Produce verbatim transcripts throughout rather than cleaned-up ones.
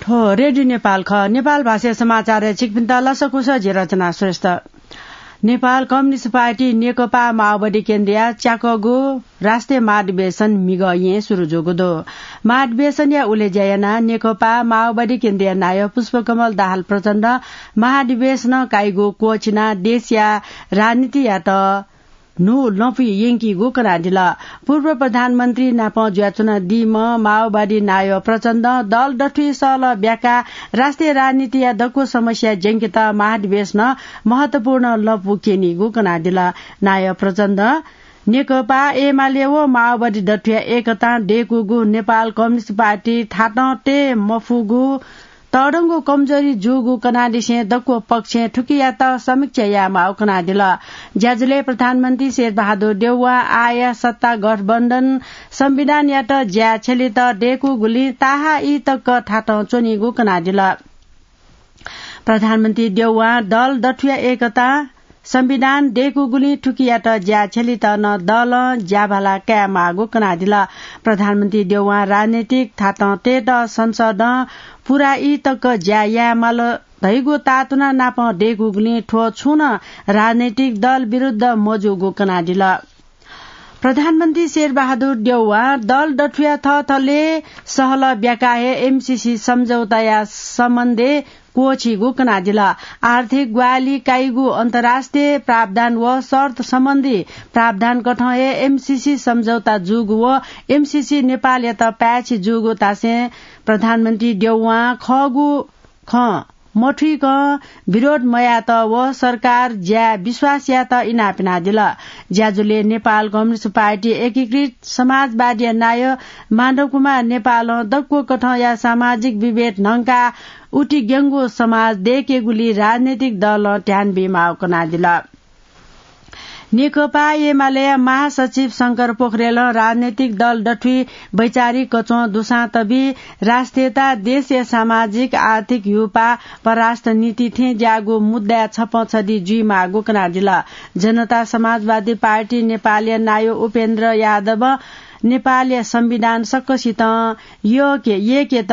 थ्व रेडियो नेपाल खः। नेपाल भाषाया समाचारय् छिकपिन्त लसकुस, जि रचना श्रेष्ठ। नेपाल कम्युनिस्ट पार्टी नेकपा माओवादी केन्द्रया च्याकःगु राष्ट्रिय महाधिवेशन म्हिगः येँ सुरु जूगु दु। महाधिवेशनया उलेज्या यानाः नेकपा माओवादी केन्द्रया नायः पुष्पकमल दाहाल प्रचण्डं महाधिवेशनं काइगु क्वःछिनाः देशया राजनीतियात न्हू लँपुइ यंकीगु कनादिल। पूर्व प्रधानमन्त्री नाप जुयाच्वनादीम्ह माओवादी नायः प्रचण्डं दल दथुइ सहलह ब्याकाः राष्ट्रिय राजनीतिया दक्व समस्या ज्यंकेत महाधिवेशनं महत्वपूर्ण लँपु क्यनीगु कनादिल। नायः प्रचण्डं नेकपा एमाले व माओवादी दथुया एकतां दय्कूगु नेपाल कम्युनिस्ट पार्टी थातं तये मफुगु तःधंगु कमजोरी जूगु कनादिसें दक्व पक्षं थुकियात समीक्षा यायेमाःगु कनादिल। ज्याझ्वलय् प्रधानमन्त्री शेरबहादुर देउवां आःया सत्ता गठबन्धन संविधानयात ज्या छ्यलेत दय्कूगुलिं ताहाः ई तक थातं च्वनीगु कनादिल। प्रधानमन्त्री देउवां दल दथुया एकतां संविधान दय्कूगुलिं थुकियात ज्या छ्यलेत नं दलं ज्याभाला कायेमाःगु कनादिल। प्रधानमन्त्री देउवां राजनैतिक थातं तयेत संसदं पूरा ई तक ज्या यायेमाल धइगु ताःतुना नाप दय्कूगुलिं थ्व छुं नं राजनैतिक दल विरुद्ध मजूगु कनादिल। प्रधानमन्त्री शेरबहादुर देउवां दल दथुया थःथलय् सहलह ब्याकाः हे एमसीसी सम्झौताया सम्बन्धय् क्वःछीगु कनादिल। आर्थिक ग्वाहालि काइगु अन्तर्राष्ट्रिय प्रावधान व शर्त सम्बन्धी प्रावधानकथं हे एमसीसी सम्झौता जूगु व एमसीसी नेपालयात पाय्छि जूगु धासें प्रधानमन्त्री देउवां खःगु खँ मथुइकं विरोध मयात व सरकार ज्याय् विश्वास यायेत इनाप यानादिल। ज्याझ्वलय् नेपाल कम्युनिस्ट पार्टी एकीकृत समाजवादीया नायः माधव कुमार नेपालं दक्व कथंया सामाजिक विभेद न्हंकाः उतिग्यंगु समाज दय्केगुली राजनैतिक दलं ध्यान बीमाःगु कनादिल। नेकपा एमालेया महासचिव शंकर पोखरेलं राजनैतिक दल दथुइ वैचारिक कच्वं दुसां तबी राष्ट्रियता, देशया सामाजिक आर्थिक ह्युपाः, परराष्ट्र नीति थें ज्याःगु मुद्दाय् छपं छधी जुइमाःगु कनादिल। जनता समाजवादी पार्टी नेपालया नायः उपेन्द्र यादवं नेपालया संविधान सकसितं यःके, यय्केत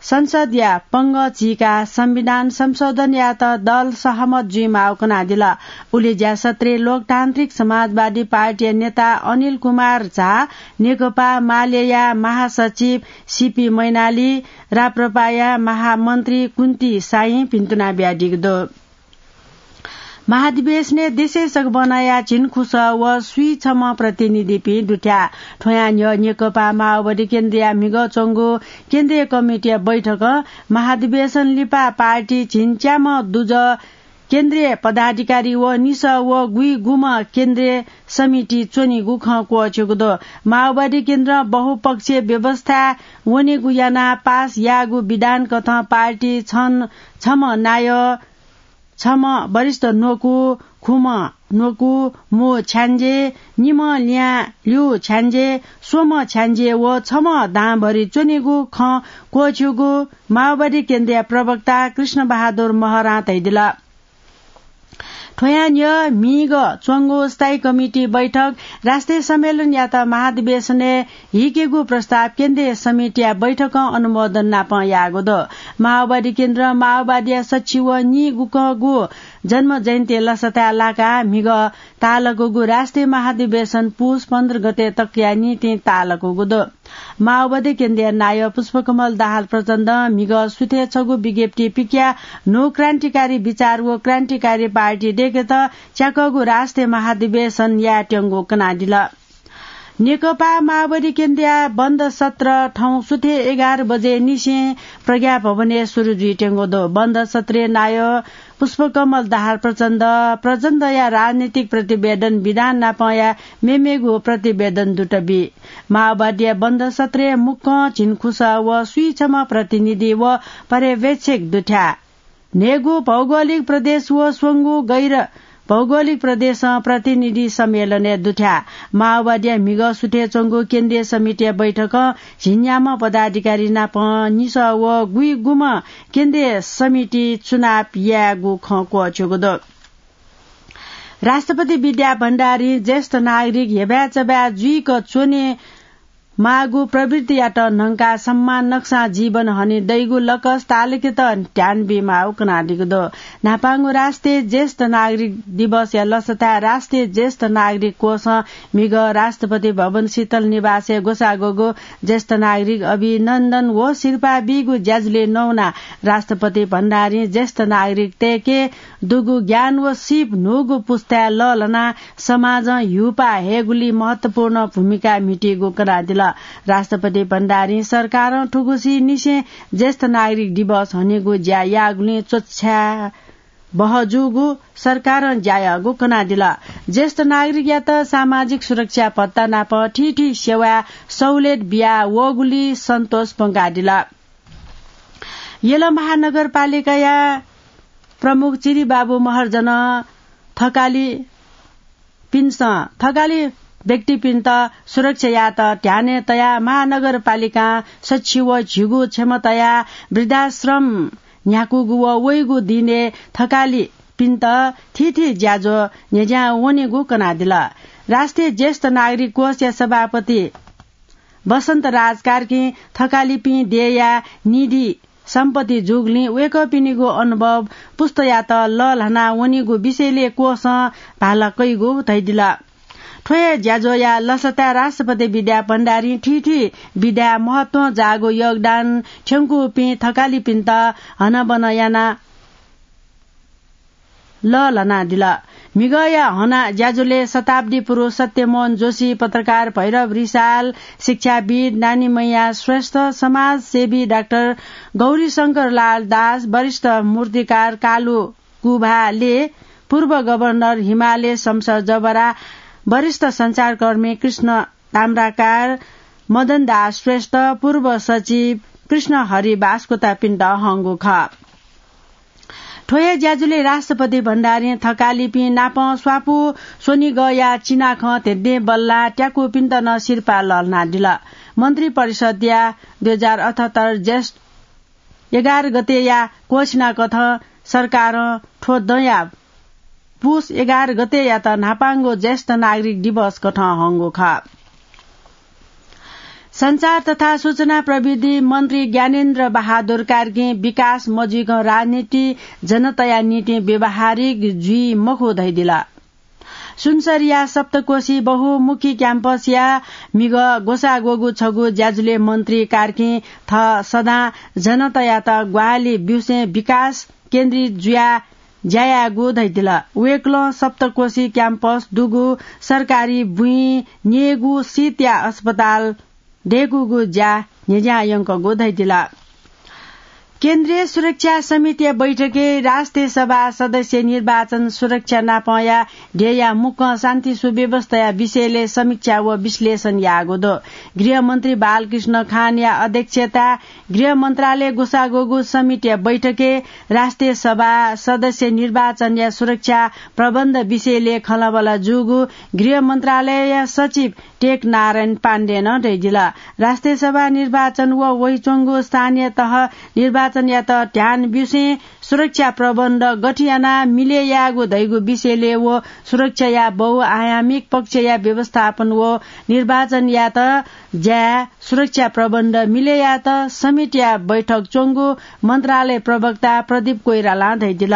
संसदया पंगः चीकाः संविधान संशोधन यायेत दल सहमत जुइमाःगु कनादिल। उलेज्या सत्रय् लोकतान्त्रिक समाजवादी पार्टीया नेता अनिल कुमार झा, नेकपा मालेया महासचिव सीपी मैनाली, राप्रपाया महामन्त्री कुन्ती साइं भिन्तुना बियादीगु दु। महाधिवेशनय् देशय् सकभनया झिंखुसः व स्वीछम्ह प्रतिनिधिपिं दुथ्याः। थ्वयां न्ह्यः नेकपा माओवादी केन्द्रया म्हिगः च्वंगु केन्द्रीय कमिटीया बैठकं महाधिवेशन लिपा पार्टी झिंच्याम्ह दुजः केन्द्रीय पदाधिकारी व निसः व गुइगुम्ह केन्द्रीय समिति च्वनीगु खँ क्वःछ्यूगु दु। माओवादी केन्द्रं बहुपक्षीय व्यवस्थाय् वनेगु यानाः पास याःगु विधानकथं पार्टी छन-, छम्ह नायः छम्ह वरिष्ठ न्वकू, खुम्ह न्वकू, मू छ्याञ्जे, निम्ह ल्यां ल्यू छ्याञ्जे, स्वम्ह छ्याञ्जे व छम्ह दांभरि च्वनीगु खँ क्वःछ्यूगु माओवादी केन्द्रीय प्रवक्ता कृष्ण बहादुर महरां धयादिल। थ्वयां न्ह्यः म्हिगः च्वंगु स्थायी कमिटी बैठक राष्ट्रिय सम्मेलनयात महाधिवेशनय् हिकेगु प्रस्ताव केन्द्रीय समितिया बैठकं अनुमोदन नापं याःगु दु। माओवादी केन्द्रं माओवादीया सच्छि व निगुकःगु जन्म जयन्ती लसताय् लाकाः म्हिगः ताःलाकूगु राष्ट्रिय महाधिवेशन पुस पन्ध्र गते तकया निंतिं ताःलाकूगु दु। माओवादी केन्द्रीय नायः पुष्पकमल दाहाल प्रचण्डं म्हिगः सुथय् छगू विज्ञप्ति पिकयाः न्हू क्रान्तिकारी विचार व क्रान्तिकारी पार्टी दय्केत च्याकःगु राष्ट्रिय महाधिवेशन यायेत्यंगु कनादिल। नेकपा माओवादी केन्द्रया बन्द सत्र थौं सुथय् एघार बजे निसें प्रज्ञा भवनय् सुरु जुइत्यंगु दु। बन्द सत्रय् नायः पुष्पकमल दाहाल प्रचण्ड, प्रचण्डया राजनीतिक प्रतिवेदन विधान नापंया मेमेगु प्रतिवेदन दुत बी। माओवादीया बन्द सत्रय् मुक्कं झिंखुसः व स्वीछम्ह प्रतिनिधि व पर्यवेक्षक दुथ्याः। न्हय्गू भौगोलिक प्रदेश व स्वंगू गैर भौगोलिक प्रदेशं प्रतिनिधि सम्मेलनय् दुथ्याः। माओवादीया म्हिगः सुथय् च्वंगु केन्द्रीय समितिया बैठकं झिंन्याम्ह पदाधिकारी नाप निसः व गुइगुम्ह केन्द्रीय समिति चुनाव यायेगु खँ क्वःछ्यूगु दु। राष्ट्रपति विद्या भण्डारीं ज्येष्ठ नागरिक हेबाय् चबाय् जुइक च्वने माःगु प्रवृत्तियात न्हंकाः सम्मान नकसां जीवन हने दइगु लकस तालुकेत ध्यान बीमाःगु कनादीगु दु। न्हापांगु राष्ट्रिय ज्येष्ठ नागरिक दिवसया लसताय् राष्ट्रिय ज्येष्ठ नागरिक कोषं म्हिगः राष्ट्रपति भवन शीतल निवासय् ग्वसाः ग्वःगु ज्येष्ठ नागरिक अभिनन्दन व सिरपाः बीगु ज्याझ्वलय् नवानाः राष्ट्रपति भण्डारीं ज्येष्ठ नागरिकतय्के दुगु ज्ञान व सीप न्हूगु पुस्ताय् लःल्हानाः समाजं ह्यूपाः हयेगुली महत्वपूर्ण भूमिका म्हितीगु कनादिल। राष्ट्रपति भण्डारीं सरकारं थुगुसी निसें ज्येष्ठ नागरिक दिवस हनेगु ज्या याःगुलिं च्वछाय् बहःजूगु सरकारं ज्या याःगु कनादिल। ज्येष्ठ नागरिकयात सामाजिक सुरक्षा भत्ता नाप थीथी सेवाय् सहुलियत बिया वःगुली सन्तोष प्वंकादिल। यल महानगरपालिकाया प्रमुख चिरिबाबु महर्जनं थकालिपिन्सं थकालि व्यक्तिपिन्त सुरक्षा यायेत ध्यानय् तयाः महानगरपालिकां सछि व झिगू क्षमताया वृद्धाश्रम न्ह्याकूगु व वइगु दिनय् थकालिपिन्त थीथी ज्याझ्वः न्ह्यज्यां वनेगु कनादिल। राष्ट्रिय ज्येष्ठ नागरिक कोषया सभापति बसन्त राज कार्कीं थकालिपिं देय्या निधि सम्पत्ति जूगुलिं वय्कःपिनिगु अनुभव पुस्तायात लःल्हाना वनीगु विषयलय् कोषं भाला कइगु धयादिल। थ्व हे ज्याझ्वःया लसताय् राष्ट्रपति विद्या भण्डारीं थीथी विधाय् महत्वं जाःगु योगदान थ्यंकूपिं थकालिपिन्त हनाबना याना लःल्हानादिल। म्हिगःया हना ज्याझ्वलय् शताब्दी पुरुष सत्यमोहन जोशी, पत्रकार भैरव रिसाल, शिक्षाविद् नानीमैया श्रेष्ठ, समाजसेवी डाक्टर गौरीशंकर लाल दास, वरिष्ठ मूर्तिकार कालु कुभाले, पूर्व गभर्नर हिमालय शमशेर जबरा, वरिष्ठ सञ्चारकर्मी कृष्ण ताम्राकार, मदन दास श्रेष्ठ, पूर्व सचिव कृष्ण हरि बास्कोटापिन्त हंगु खः। थ्व हे ज्याझ्वलय् राष्ट्रपति भण्डारीं थकालिपिं नाप स्वापू स्वनिगःया चिनाखँ ध्यंध्यें बल्लाः त्याकूपिन्त नं सिरपाः लःल्हानादिल। मन्त्रिपरिषद्या दुई हजार अठहत्तर ज्येष्ठ एघार गतेया घोषणाकथं सरकारं थ्व दँया पुस एघार गतेयात न्हापांगु ज्येष्ठ नागरिक दिवसकथं हंगु खः। सञ्चार तथा सूचना प्रविधि मन्त्री ज्ञानेन्द्र बहादुर कार्कीं विकास मजुइकं राजनीति जनताया निंतिं व्यावहारिक जुइ मखु धयादिल। सुनसरीया सप्तकोशी बहुमुखी क्याम्पसया म्हिगः ग्वसाः ग्वःगु छगू ज्याझ्वलय् मन्त्री कार्कीं थः सदां जनतायात ग्वाहालि ब्यूसें विकास केन्द्रित जुयाः ज्या यायेगु धयादिल। वय्कलं सप्तकोशी क्याम्पस दुगु सरकारी बुँइ न्ययेगु सीतया अस्पताल दय्कूगु ज्या न्ह्यज्यां यंकूगु धयादिल। केन्द्रीय सुरक्षा समितिया बैठकय् राष्ट्रिय सभा सदस्य निर्वाचन सुरक्षा नापंया ध्येया मुक्कं शान्ति सुव्यवस्थाया विषयलय् समीक्षा व विश्लेषण याःगु दु। गृहमन्त्री बालकृष्ण खानया अध्यक्षताय् गृह मन्त्रालय ग्वसाः ग्वःगु समितिया बैठकय् राष्ट्रिय सभा सदस्य निर्वाचनया सुरक्षा प्रबन्ध विषयलय् खँल्हाबल्हा जूगु गृह मन्त्रालयया सचिव टेक नारायण पाण्डेनं धयादिल। राष्ट्रिय सभा निर्वाचन व वइच्वंगु स्थानीय तह निर्वाचनयात ध्यान ब्यूसें सुरक्षा प्रबन्ध गथे यानाः मिले यायेगु धइगु विषयलय् व सुरक्षाया बहुआयामिक पक्षया व्यवस्थापन व निर्वाचनयात ज्याय् सुरक्षा प्रबन्ध मिले यायेत समितिया बैठक च्वंगु मन्त्रालय प्रवक्ता प्रदीप कोइरालां धयादिल।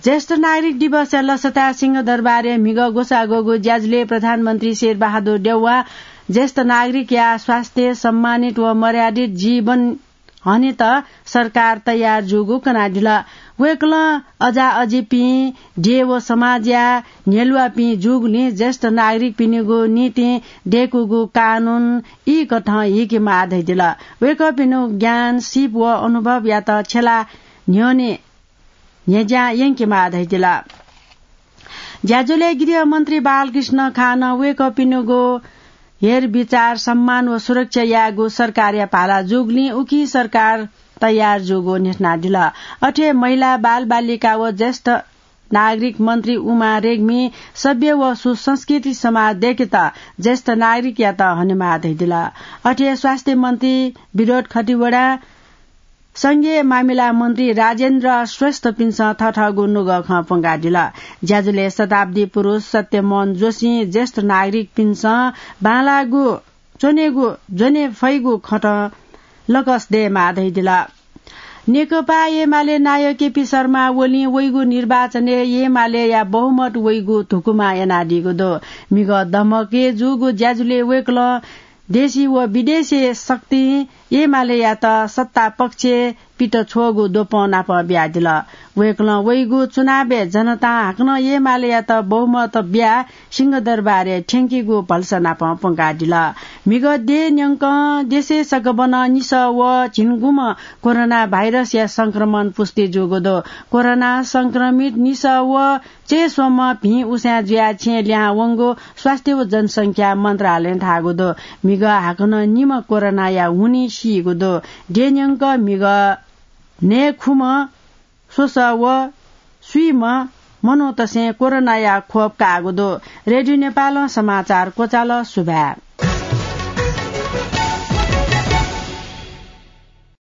ज्येष्ठ नागरिक दिवसया लसताय् सिंहदरबारय् म्हिगः ग्वसाः ग्वःगु ज्याझ्वलय् प्रधानमन्त्री शेरबहादुर देउवां ज्येष्ठ नागरिकया स्वास्थ्य, सम्मानित व मर्यादित जीवन हनेत सरकार तयार जूगु कनादिल। वय्कलं अजाअजीपिं, देय् व समाजया न्ह्यलुवापिं जूगुलिं ज्येष्ठ नागरिकपिनिगु निंतिं दय्कूगु कानून ई कथं हीकेमाः धयादिल। वय्कःपिनिगु ज्ञान, सीप व अनुभवयात छ्यला न्ह्यःने न्ह्यज्यां यंकेमाः धयादिल। ज्याझ्वलय् गृहमन्त्री बालकृष्ण खानं वय्कःपिनिगु हेरबिचार, सम्मान व सुरक्षा यायेगु सरकारया भाला जूगुलिं उकी सरकार तयार जूगु न्ह्यथनादिल। अथे महिला, बालबालिका व ज्येष्ठ नागरिक मन्त्री उमा रेग्मी सभ्य व सुसंस्कृति समाज दय्केत ज्येष्ठ नागरिकयात हनेमाः धयादिल। अथे स्वास्थ्य मन्त्री विनोद खतिवडा, संघीय मामिला मन्त्री राजेन्द्र श्रेष्ठपिन्सं थथःगु नुगः खँ प्वंकादिल। ज्याझ्वलय् शताब्दी पुरुष सत्यमोहन जोशीं ज्येष्ठ नागरिकपिन्सं बांलाःगु च्वनेगु ज्वने फइगु खँत लकस दयेमाः धइदिल। नेकपा एमाले नायः केपी शर्मा ओलीं वइगु निर्वाचनय् एमालेया बहुमत वइगु धुकुमा यानादीगु दु। म्हिगः दमकय् जूगु ज्याझ्वलय् वय्कलं देशी व विदेशी शक्तिं एमालेयात सत्ता पक्षय् पित छ्वःगु द्वपं नाप बियादिल। वय्कलं वइगु चुनावय् जनतां हाकनं एमालेयात बहुमत बियाः सिंहदरबारय् थ्यंकीगु भलसा नाप प्वंकादिल। म्हिगः देय् न्यंकं देशय् सकभनं निसः व झिंगुम्ह कोरोना भाइरसया संक्रमण पुष्टि जूगु दु। कोरोना संक्रमित निसः व चय्स्वम्ह भिं उसाँय् जुयाः छेँय् लिहां वंगु स्वास्थ्य व जनसंख्या मन्त्रालयं धाःगु दु। म्हिगः हाकनं निम्ह कोरोनाया हुनिं सीगु दु। देय् न्यंक म्हिगः न्हय्खुम्ह स्वसः व स्वीम्ह मनूतय्सं कोरोनाया खोप काःगु दु। रेडियो नेपालं समाचार क्वचाल। सुभाय्।